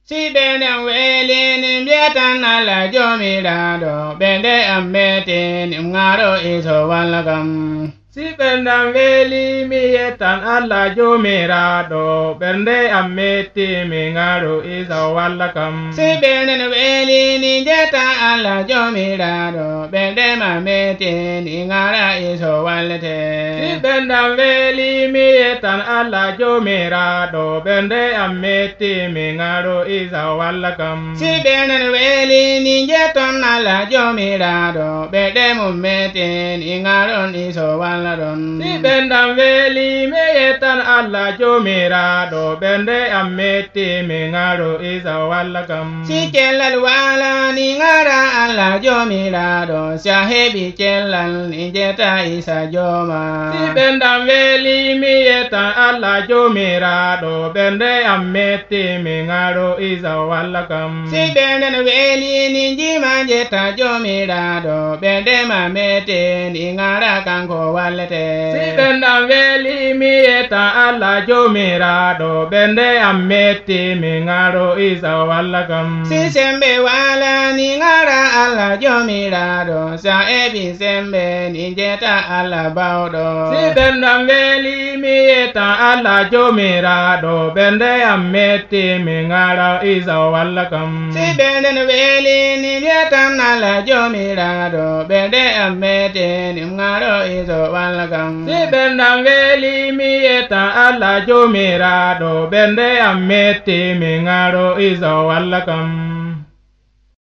Sibenen welini bietan ala jomirado bende ammetin ngaro iso walagam. Sibenen weli mietan ala jomirado bende ammetin ngaro iso walagam. Sibenen welini bietan ala jomirado bende ammetin ngara iso walate. Sibenen weli mietan ala jomirado bende ammetin ngaro iso walagam. Sibenen welini bietan ala jomirado bende ammetin ngaro iso walate. Sibenen weli mietan ala jomirado bende ammetin ngaro iso walagam. Si celal wala ni ngara ala jomirado sahebi celal ni jeta isa joma. Sibenen weli mietan ala jomirado bende ammetin ngaro iso walagam. Sibenen weli ni jima jeta jomirado bende ammetin ngara kanko walete. Sibenen weli mietan ala jomirado bende ammetin ngaro iso walagam. Si sembe wala ni ngara ala jomirado sa ebi sembe ni jeta ala baudo. Sibenen weli mietan ala jomirado bende ammetin ngaro iso walagam. Sibenen weli ni bietan ala jomirado bende ammetin ngaro iso walagam. Sibenen weli mietan ala jomirado bende ammetin ngaro iso walagam.